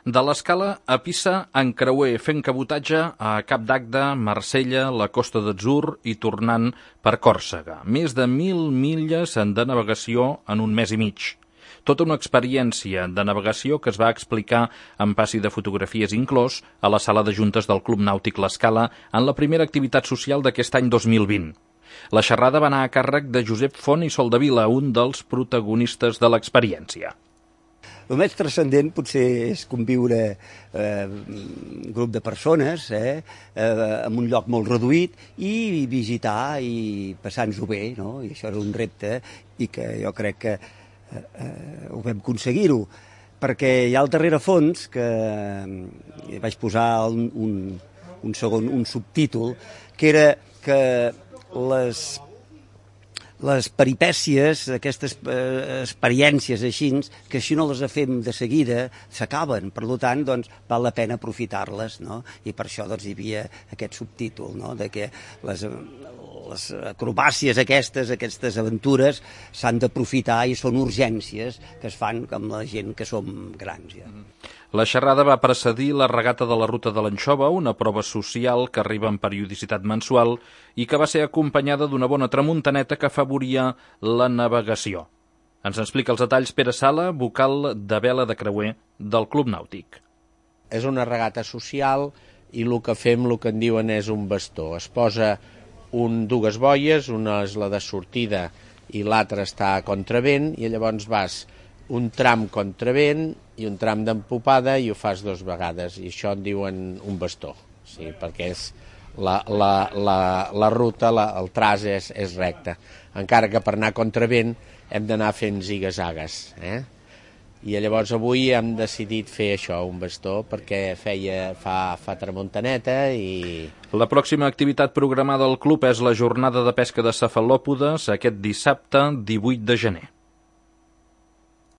De l'Escala a Pisa en creuer fent cabotatge a Cap d'Agde, Marsella, la Costa d'Atzur i tornant per Còrsega. Més de 1.000 milles de navegació en un mes i mig. Tota una experiència de navegació que es va explicar en passi de fotografies inclòs a la sala de juntes del Club Nàutic l'Escala en la primera activitat social d'aquest any 2020. La xerrada va anar a càrrec de Josep Font i Soldevila, un dels protagonistes de l'experiència. El més transcendent potser és conviure un grup de persones en un lloc molt reduït i visitar i passar-nos-ho bé, no? I això era un repte i que jo crec que ho vam aconseguir-ho, perquè hi ha al darrerefons que vaig posar un subtítol, que era que les peripècies, aquestes experiències així, que si no les fem de seguida, s'acaben. Per tant, doncs, val la pena aprofitar-les, no? I per això doncs, hi havia aquest subtítol, no? De que les acrobàcies aquestes aventures, s'han d'aprofitar i són urgències que es fan amb la gent que som grans. Ja. La xerrada va precedir la regata de la Ruta de l'Anxova, una prova social que arriba en periodicitat mensual i que va ser acompanyada d'una bona tramuntaneta que afavoria la navegació. Ens explica els detalls Pere Sala, vocal de vela de creuer del Club Nàutic. És una regata social i el que fem, el que en diuen és un bastó. Es posa dues boies, una és la de sortida i l'altra està a contravent, i llavors vas un tram contravent i un tram d'empopada i ho fas 2 vegades, i això en diuen un bastó, sí, perquè és la ruta, el traç és recte, encara que per anar contravent hem d'anar fent ziga-zagues, I llavors avui hem decidit fer això, un bastó, perquè fa tramuntaneta i... La pròxima activitat programada al club és la jornada de pesca de cefalòpodes aquest dissabte 18 de gener.